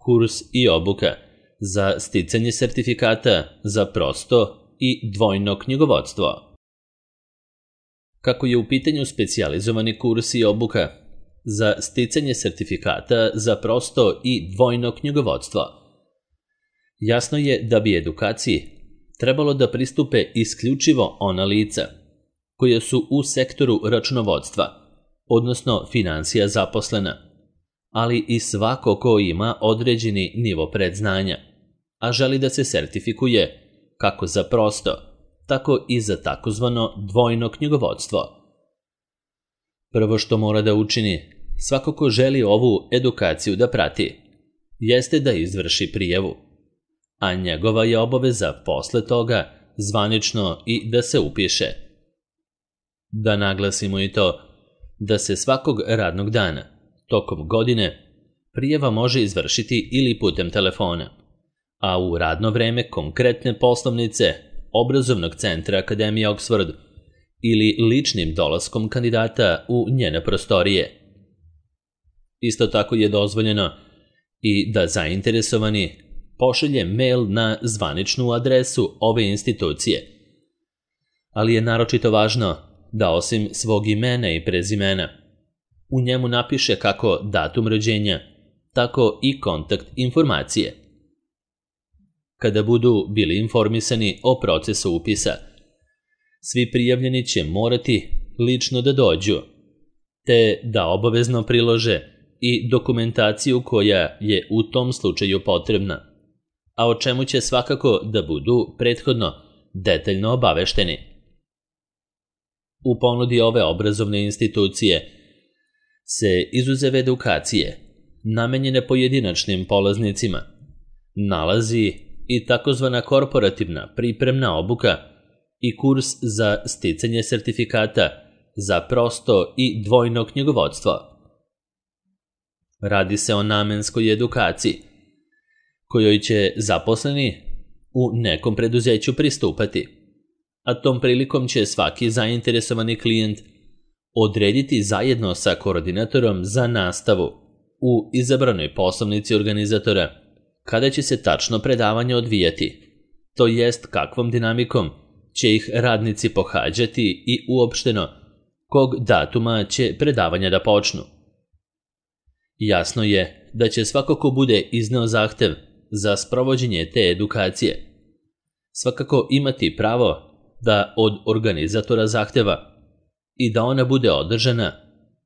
kurs i obuka za sticanje sertifikata za prosto i dvojno knjigovodstvo. Kako je u pitanju specijalizovani kurs i obuka za sticanje sertifikata za prosto i dvojno knjigovodstvo, jasno je da bi edukaciji trebalo da pristupe isključivo ona lica koja su u sektoru računovodstva, odnosno finansija zaposlena, ali i svako ko ima određeni nivo predznanja, a želi da se sertifikuje kako za prosto, tako i za takozvano dvojno knjigovodstvo. Prvo što mora da učini svako ko želi ovu edukaciju da prati, jeste da izvrši prijavu, a njegova je obaveza posle toga zvanično i da se upiše. Da naglasimo i to da se svakog radnog dana, tokom godine, prijava može izvršiti ili putem telefona, a u radno vreme konkretne poslovnice obrazovnog centra Akademije Oxford ili ličnim dolaskom kandidata u njene prostorije. Isto tako je dozvoljeno i da zainteresovani pošalje mail na zvaničnu adresu ove institucije, ali je naročito važno da osim svog imena i prezimena u njemu napiše kako datum rođenja, tako i kontakt informacije. Kada budu bili informisani o procesu upisa, svi prijavljeni će morati lično da dođu, te da obavezno prilože i dokumentaciju koja je u tom slučaju potrebna, a o čemu će svakako da budu prethodno detaljno obavešteni. U ponudi ove obrazovne institucije se izuzev edukacije, namenjene pojedinačnim polaznicima, nalazi i takozvana korporativna pripremna obuka i kurs za sticanje sertifikata za prosto i dvojno knjigovodstvo. Radi se o namenskoj edukaciji, kojoj će zaposleni u nekom preduzeću pristupati, a tom prilikom će svaki zainteresovani klijent odrediti zajedno sa koordinatorom za nastavu u izabranoj poslovnici organizatora kada će se tačno predavanje odvijati, to jest kakvom dinamikom će ih radnici pohađati i uopšteno kog datuma će predavanja da počnu. Jasno je da će svako ko bude izneo zahtev za sprovođenje te edukacije svakako imati pravo da od organizatora zahteva i da ona bude održana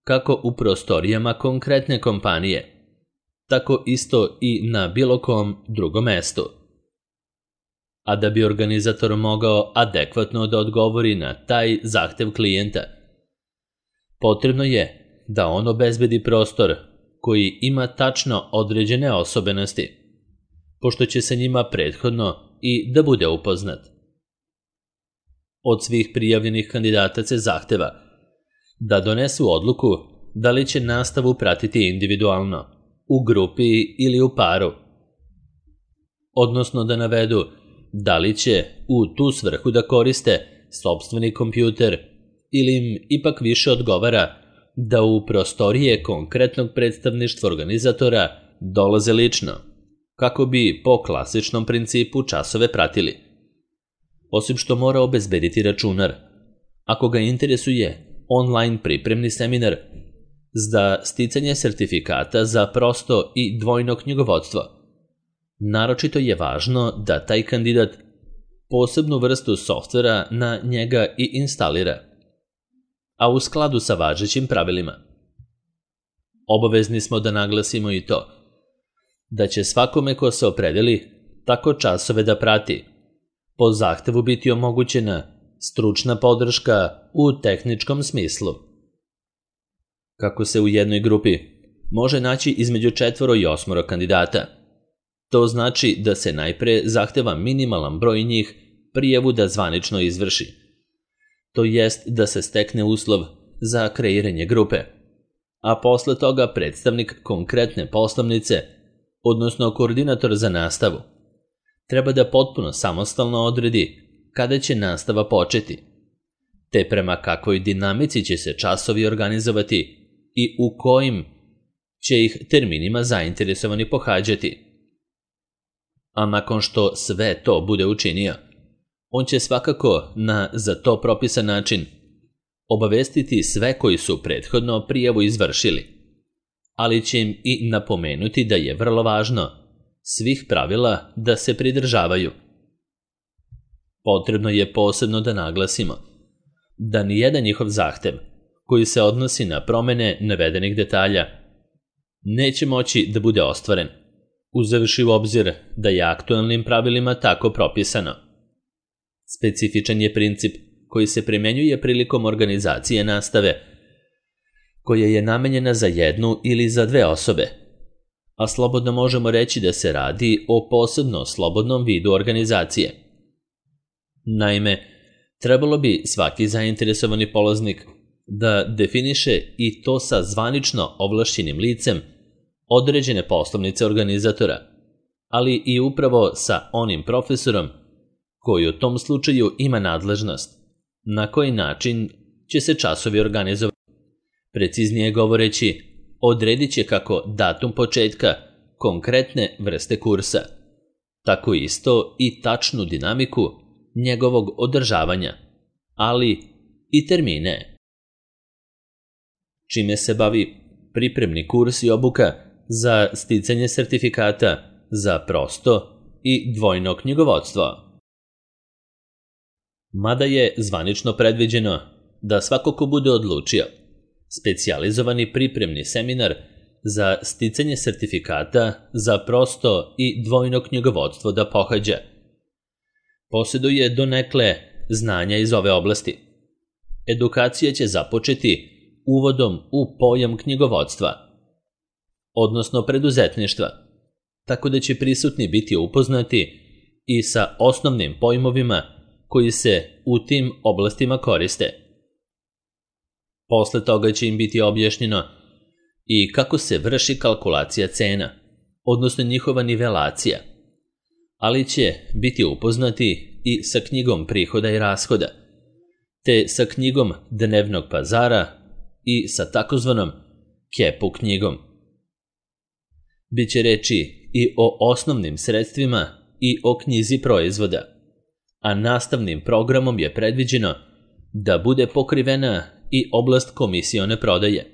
kako u prostorijama konkretne kompanije, tako isto i na bilo kom drugom mestu. A da bi organizator mogao adekvatno da odgovori na taj zahtev klijenta, potrebno je da on obezbedi prostor koji ima tačno određene osobenosti, pošto će se njima prethodno i da bude upoznat. Od svih prijavljenih kandidata se zahteva da donesu odluku da li će nastavu pratiti individualno, u grupi ili u paru, odnosno da navedu da li će u tu svrhu da koriste sopstveni kompjuter ili im ipak više odgovara da u prostorije konkretnog predstavništva organizatora dolaze lično, kako bi po klasičnom principu časove pratili. Osim što mora obezbediti računar, ako ga interesuje online pripremni seminar za sticanje sertifikata za prosto i dvojno knjigovodstvo. Naročito je važno da taj kandidat posebnu vrstu softvera na njega i instalira, a u skladu sa važećim pravilima. Obavezni smo da naglasimo i to da će svakome ko se opredeli tako časove da prati po zahtevu biti omogućena stručna podrška u tehničkom smislu. Kako se u jednoj grupi može naći između 4 i 8 kandidata, to znači da se najpre zahteva minimalan broj njih prijavu da zvanično izvrši, to jest da se stekne uslov za kreiranje grupe, a posle toga predstavnik konkretne poslovnice, odnosno koordinator za nastavu, treba da potpuno samostalno odredi kada će nastava početi, te prema kakvoj dinamici će se časovi organizovati i u kojim će ih terminima zainteresovani pohađati. a nakon što sve to bude učinio, on će svakako na za to propisan način obavestiti sve koji su prethodno prijavu izvršili, ali će im i napomenuti da je vrlo važno svih pravila da se pridržavaju. Potrebno je posebno da naglasimo da nijedan njihov zahtev koji se odnosi na promene navedenih detalja neće moći da bude ostvaren, uzevši u obzir da je aktualnim pravilima tako propisano. Specifičan je princip koji se primenjuje prilikom organizacije nastave, koja je namenjena za jednu ili za dve osobe, a slobodno možemo reći da se radi o posebno slobodnom vidu organizacije. Naime, trebalo bi svaki zainteresovani polaznik da definiše i to sa zvanično ovlašćenim licem određene poslovnice organizatora, ali i upravo sa onim profesorom koji u tom slučaju ima nadležnost na koji način će se časovi organizovati. Preciznije govoreći, odredit će kako datum početka konkretne vrste kursa, tako isto i tačnu dinamiku njegovog održavanja, ali i termine. Čime se bavi pripremni kurs i obuka za sticanje sertifikata za prosto i dvojno knjigovodstvo. Mada je zvanično predviđeno da svako ko bude odlučio specijalizovani pripremni seminar za sticanje sertifikata za prosto i dvojno knjigovodstvo da pohađa, posjeduje donekle znanja iz ove oblasti. Edukacija će započeti uvodom u pojam knjigovodstva, odnosno preduzetništva, tako da će prisutni biti upoznati i sa osnovnim pojmovima koji se u tim oblastima koriste. Posle toga će im biti objašnjeno i kako se vrši kalkulacija cena, odnosno njihova nivelacija, ali će biti upoznati i sa knjigom prihoda i rashoda, te sa knjigom dnevnog pazara i sa takozvanom kepu knjigom. Biće reči i o osnovnim sredstvima i o knjizi proizvoda, a nastavnim programom je predviđeno da bude pokrivena i oblast komisione prodaje,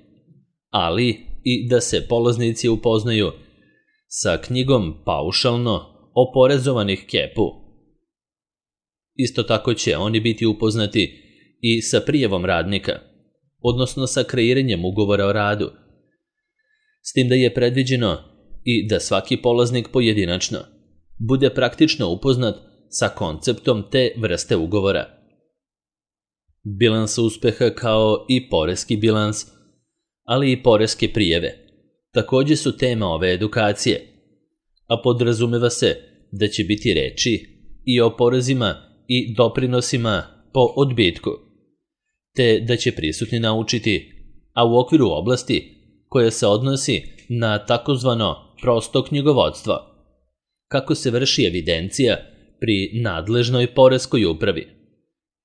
ali i da se polaznici upoznaju sa knjigom paušalno oporezovanih kepu. Isto tako će oni biti upoznati i sa prijavom radnika, odnosno sa kreiranjem ugovora o radu, s tim da je predviđeno i da svaki polaznik pojedinačno bude praktično upoznat sa konceptom te vrste ugovora. Bilans uspeha kao i poreski bilans, ali i poreske prijave, također su tema ove edukacije, a podrazumeva se da će biti reči i o porezima i doprinosima po odbitku, te da će prisutni naučiti, a u okviru oblasti koja se odnosi na takozvano prosto knjigovodstvo, kako se vrši evidencija pri nadležnoj poreskoj upravi,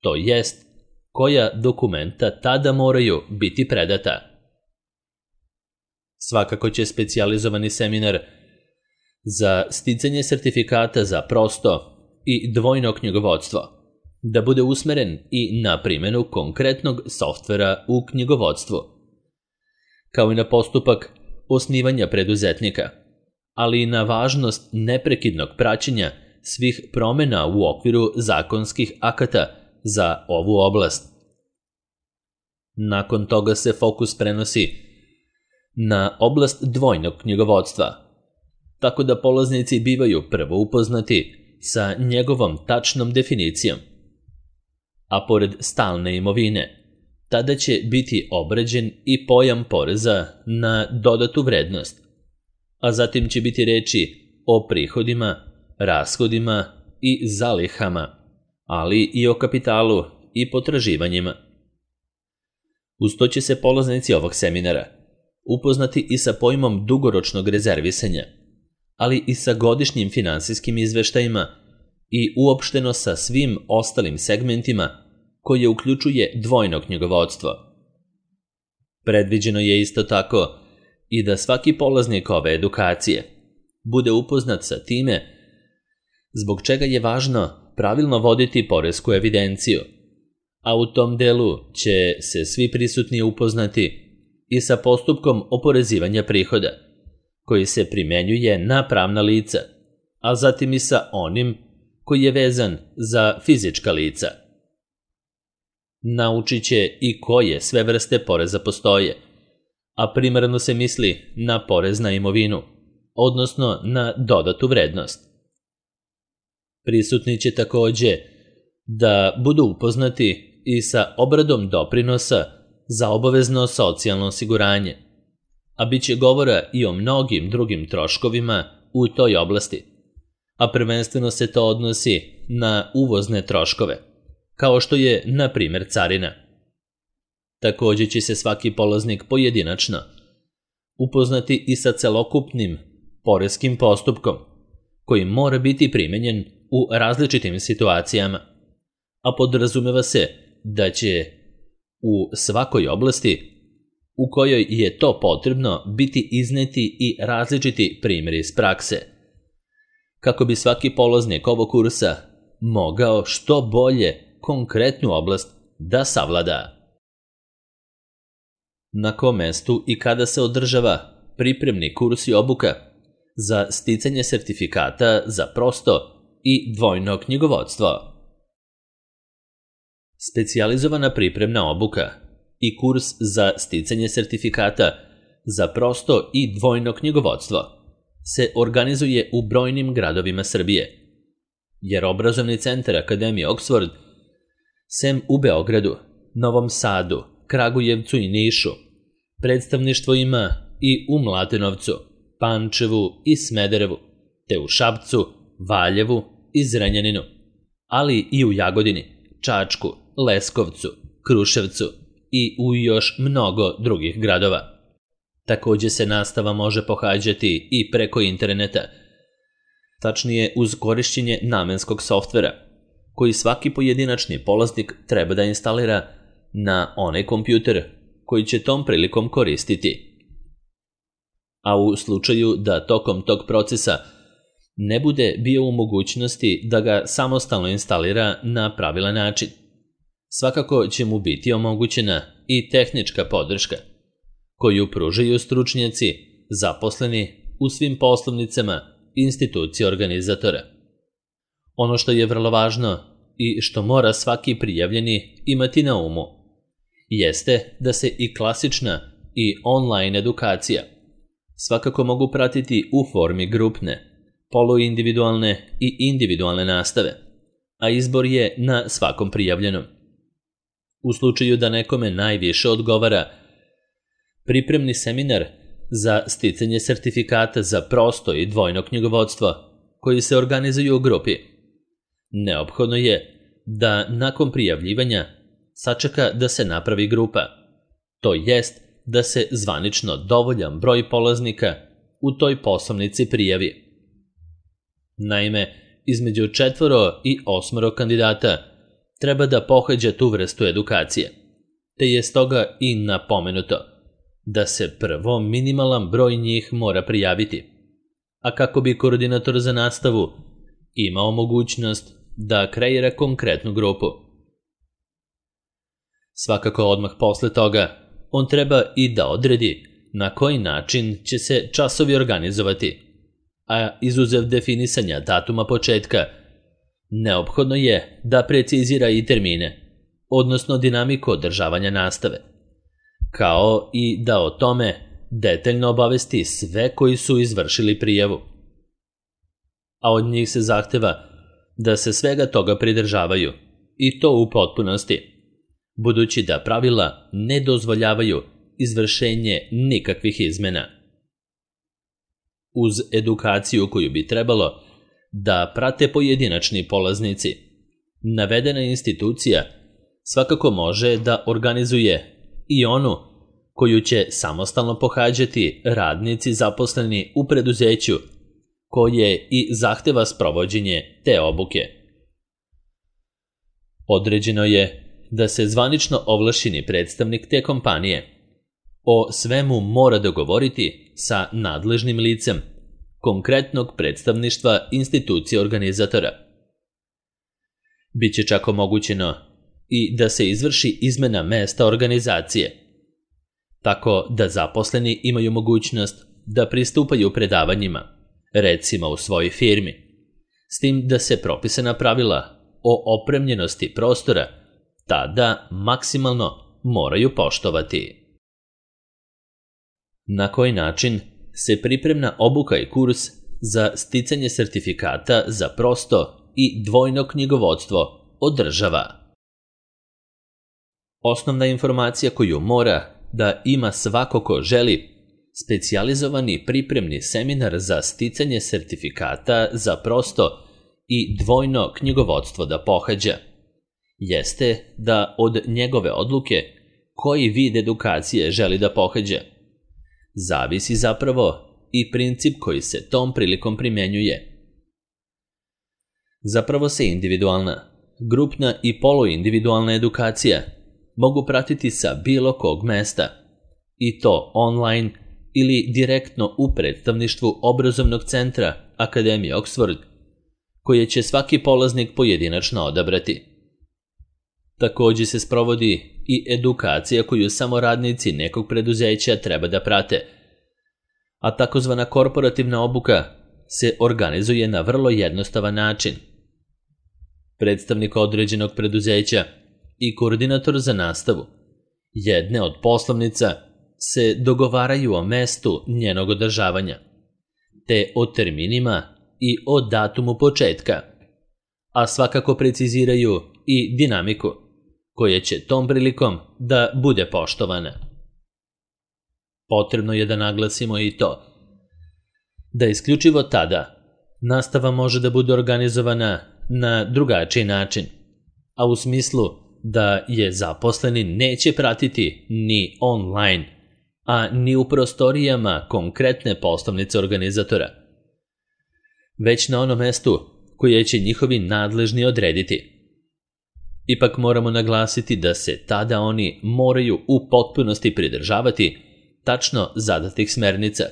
to jest koja dokumenta tada moraju biti predata. Svakako će specijalizovani seminar za sticanje sertifikata za prosto i dvojno knjigovodstvo da bude usmeren i na primjenu konkretnog softvera u knjigovodstvu, kao i na postupak osnivanja preduzetnika, ali i na važnost neprekidnog praćenja svih promjena u okviru zakonskih akata za ovu oblast. Nakon toga se fokus prenosi na oblast dvojnog knjigovodstva, tako da polaznici bivaju prvo upoznati sa njegovom tačnom definicijom, a pored stalne imovine, tada će biti obrađen i pojam poreza na dodatu vrednost, a zatim će biti reči o prihodima, rashodima i zalihama, ali i o kapitalu i potraživanjima. Uz to će se polaznici ovog seminara upoznati i sa pojmom dugoročnog rezervisanja, ali i sa godišnjim finansijskim izveštajima i uopšteno sa svim ostalim segmentima koje uključuje dvojno knjigovodstvo. Predviđeno je isto tako i da svaki polaznik ove edukacije bude upoznat sa time zbog čega je važno pravilno voditi poresku evidenciju, a u tom delu će se svi prisutni upoznati i sa postupkom oporezivanja prihoda, koji se primenjuje na pravna lica, a zatim i sa onim koji je vezan za fizička lica. Naučit će i koje sve vrste poreza postoje, a primarno se misli na porez na imovinu, odnosno na dodatu vrednost. Prisutni će takođe da budu upoznati i sa obradom doprinosa za obavezno socijalno osiguranje, a bit će govora i o mnogim drugim troškovima u toj oblasti, a prvenstveno se to odnosi na uvozne troškove, kao što je, na primjer, carina. Takođe će se svaki polaznik pojedinačno upoznati i sa celokupnim poreskim postupkom, koji mora biti primenjen u različitim situacijama, a podrazumeva se da će u svakoj oblasti u kojoj je to potrebno biti izneti i različiti primjeri iz prakse, kako bi svaki polaznik ovog kursa mogao što bolje konkretnu oblast da savlada. Na kom mestu i kada se održava pripremni kurs i obuka za sticanje sertifikata za prosto i dvojno knjigovodstvo? Specijalizovana pripremna obuka i kurs za sticanje sertifikata za prosto i dvojno knjigovodstvo se organizuje u brojnim gradovima Srbije, jer obrazovni centar Akademije Oxford, sem u Beogradu, Novom Sadu, Kragujevcu i Nišu, predstavništvo ima i u Mladenovcu, Pančevu i Smederevu, te u Šapcu, Valjevu i Zrenjaninu, ali i u Jagodini, Čačku, Leskovcu, Kruševcu i u još mnogo drugih gradova. Takođe se nastava može pohađati i preko interneta, tačnije uz korišćenje namenskog softvera, koji svaki pojedinačni polaznik treba da instalira na onaj kompjuter koji će tom prilikom koristiti. A u slučaju da tokom tog procesa ne bude bio u mogućnosti da ga samostalno instalira na pravilan način, svakako će mu biti omogućena i tehnička podrška, koju pružaju stručnjaci zaposleni u svim poslovnicama institucije organizatora. Ono što je vrlo važno i što mora svaki prijavljeni imati na umu jeste da se i klasična i online edukacija svakako mogu pratiti u formi grupne, poluindividualne i individualne nastave, a izbor je na svakom prijavljenom. U slučaju da nekome najviše odgovara pripremni seminar za sticanje sertifikata za prosto i dvojno knjigovodstvo koji se organizuju u grupi, neophodno je da nakon prijavljivanja sačeka da se napravi grupa, to jest da se zvanično dovoljan broj polaznika u toj poslovnici prijavi. Naime, između 4 i 8 kandidata treba da pohađa tu vrstu edukacije, te je stoga i napomenuto da se prvo minimalan broj njih mora prijaviti, a kako bi koordinator za nastavu imao mogućnost da kreira konkretnu grupu. Svakako odmah posle toga on treba i da odredi na koji način će se časovi organizovati, a izuzev definisanja datuma početka, neophodno je da precizira i termine, odnosno dinamiku održavanja nastave, kao i da o tome detaljno obavesti sve koji su izvršili prijavu. A od njih se zahteva da se svega toga pridržavaju, i to u potpunosti, budući da pravila ne dozvoljavaju izvršenje nikakvih izmena. Uz edukaciju koju bi trebalo da prate pojedinačni polaznici, navedena institucija svakako može da organizuje i onu koju će samostalno pohađati radnici zaposleni u preduzeću koje i zahteva sprovođenje te obuke. Određeno je da se zvanično ovlašćeni predstavnik te kompanije o svemu mora dogovoriti sa nadležnim licem konkretnog predstavništva institucije organizatora. Biće čak omogućeno i da se izvrši izmena mesta organizacije, tako da zaposleni imaju mogućnost da pristupaju predavanjima, recimo u svojoj firmi, s tim da se propisana pravila o opremljenosti prostora tada maksimalno moraju poštovati. Na koji način se pripremna obuka i kurs za sticanje sertifikata za prosto i dvojno knjigovodstvo održava? Osnovna informacija koju mora da ima svako ko želi specijalizovani pripremni seminar za sticanje sertifikata za prosto i dvojno knjigovodstvo da pohađa jeste da od njegove odluke koji vid edukacije želi da pohađa zavisi zapravo i princip koji se tom prilikom primenjuje. Zapravo se individualna, grupna i poluindividualna edukacija mogu pratiti sa bilo kog mesta, i to online ili direktno u predstavništvu obrazovnog centra Akademije Oxford, koje će svaki polaznik pojedinačno odabrati. Također se sprovodi i edukacija koju samo radnici nekog preduzeća treba da prate, a takozvana korporativna obuka se organizuje na vrlo jednostavan način. Predstavnik određenog preduzeća i koordinator za nastavu jedne od poslovnica se dogovaraju o mestu njenog održavanja, te o terminima i o datumu početka, a svakako preciziraju i dinamiku koja će tom prilikom da bude poštovana. Potrebno je da naglasimo i to da isključivo tada nastava može da bude organizovana na drugačiji način, a u smislu da je zaposleni neće pratiti ni online, a ni u prostorijama konkretne poslovnice organizatora, već na onom mestu koje će njihovi nadležni odrediti. Ipak moramo naglasiti da se tada oni moraju u potpunosti pridržavati tačno zadatih smernica,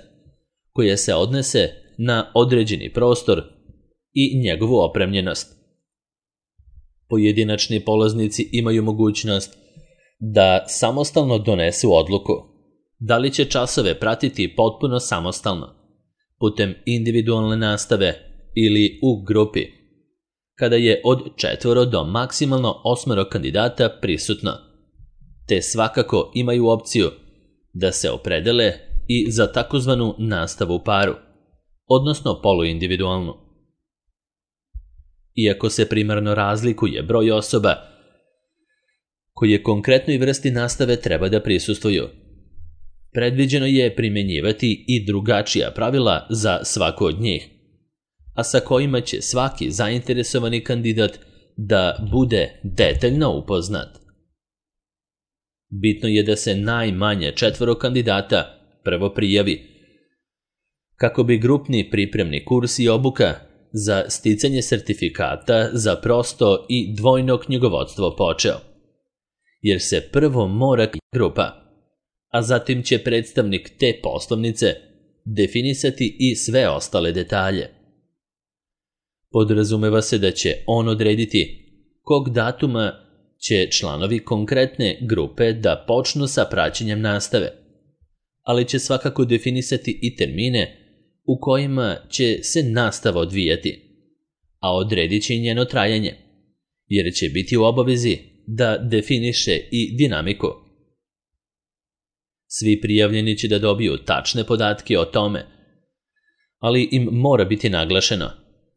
koje se odnese na određeni prostor i njegovu opremljenost. Pojedinačni polaznici imaju mogućnost da samostalno donesu odluku da li će časove pratiti potpuno samostalno, putem individualne nastave ili u grupi, kada je od 4 do maksimalno 8 kandidata prisutno, te svakako imaju opciju da se opredele i za takozvanu nastavu u paru, odnosno poluindividualnu. Iako se primarno razlikuje broj osoba koje konkretnoj vrsti nastave treba da prisustvuju, predviđeno je primenjivati i drugačija pravila za svaku od njih, a sa kojima će svaki zainteresovani kandidat da bude detaljno upoznat. Bitno je da se najmanje 4 kandidata prvo prijavi, kako bi grupni pripremni kurs i obuka za sticanje sertifikata za prosto i dvojno knjigovodstvo počeo, jer se prvo mora grupa, a zatim će predstavnik te poslovnice definisati i sve ostale detalje. Podrazumeva se da će on odrediti kog datuma će članovi konkretne grupe da počnu sa praćenjem nastave, ali će svakako definisati i termine u kojima će se nastava odvijati, a odredit će i njeno trajanje, jer će biti u obavezi da definiše i dinamiku. Svi prijavljeni će da dobiju tačne podatke o tome, ali im mora biti naglašeno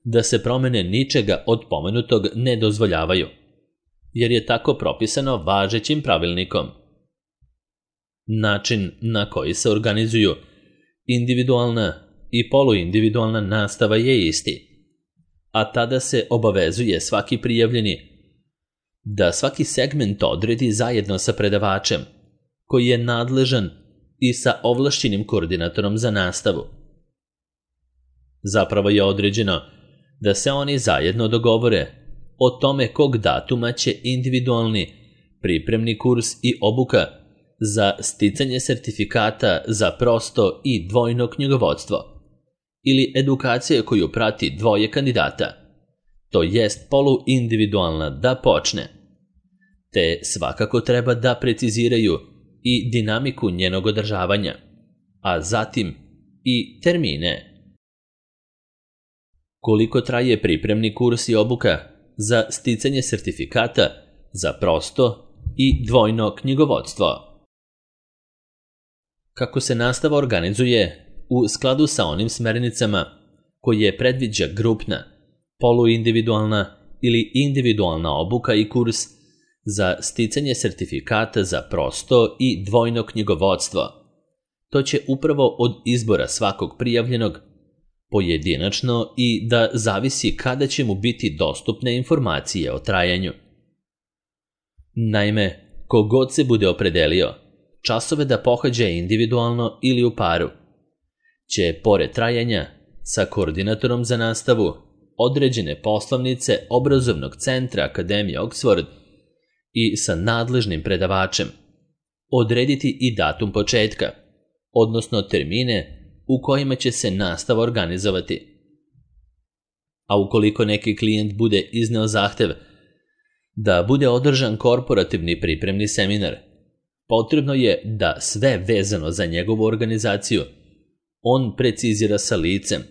da se promene ničega od pomenutog ne dozvoljavaju, jer je tako propisano važećim pravilnikom. Način na koji se organizuju individualna i poluindividualna nastava je isti, a tada se obavezuje svaki prijavljeni da svaki segment odredi zajedno sa predavačem, koji je nadležan i sa ovlašćenim koordinatorom za nastavu. Zapravo je određeno da se oni zajedno dogovore o tome kog datuma će individualni pripremni kurs i obuka za sticanje sertifikata za prosto i dvojno knjigovodstvo ili edukacija koju prati dvoje kandidata, to jest poluindividualna, da počne, te svakako treba da preciziraju i dinamiku njenog održavanja, a zatim i termine. Koliko traje pripremni kurs i obuka za sticanje sertifikata za prosto i dvojno knjigovodstvo? Kako se nastava organizuje u skladu sa onim smernicama koje predviđa grupna, poluindividualna ili individualna obuka i kurs za sticanje sertifikata za prosto i dvojno knjigovodstvo, to će upravo od izbora svakog prijavljenog pojedinačno i da zavisi kada će mu biti dostupne informacije o trajanju. Naime, kogod se bude opredelio časove da pohađa individualno ili u paru, će pored trajanja sa koordinatorom za nastavu određene poslovnice obrazovnog centra Akademije Oxford i sa nadležnim predavačem odrediti i datum početka, odnosno termine u kojima će se nastava organizovati. A ukoliko neki klijent bude izneo zahtev da bude održan korporativni pripremni seminar, potrebno je da sve vezano za njegovu organizaciju on precizira sa licem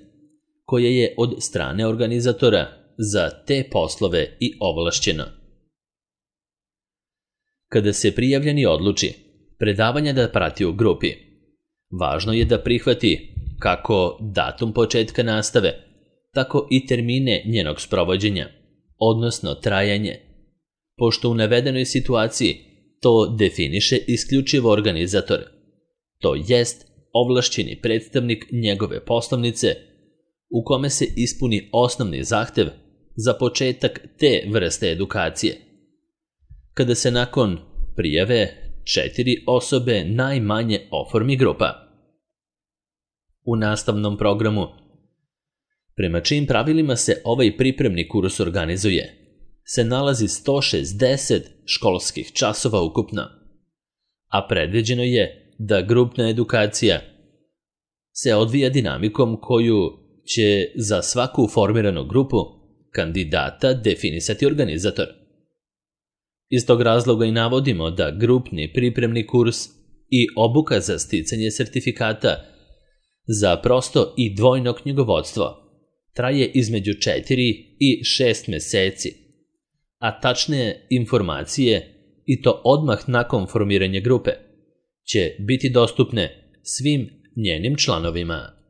koje je od strane organizatora za te poslove i ovlašćeno. Kada se prijavljeni odluči predavanja da prati u grupi, važno je da prihvati kako datum početka nastave, tako i termine njenog sprovođenja, odnosno trajanje, pošto u navedenoj situaciji to definiše isključivo organizator, to jest ovlašćeni predstavnik njegove poslovnice u kome se ispuni osnovni zahtev za početak te vrste edukacije. Kada se nakon prijave 4 osobe najmanje oformi grupa. U nastavnom programu, prema čijim pravilima se ovaj pripremni kurs organizuje, se nalazi 160 školskih časova ukupno, a predviđeno je da grupna edukacija se odvija dinamikom koju će za svaku formiranu grupu kandidata definisati organizator. Iz tog razloga i navodimo da grupni pripremni kurs i obuka za sticanje sertifikata za prosto i dvojno knjigovodstvo traje između 4 i 6 meseci, a tačne informacije, i to odmah nakon formiranja grupe, će biti dostupne svim njenim članovima.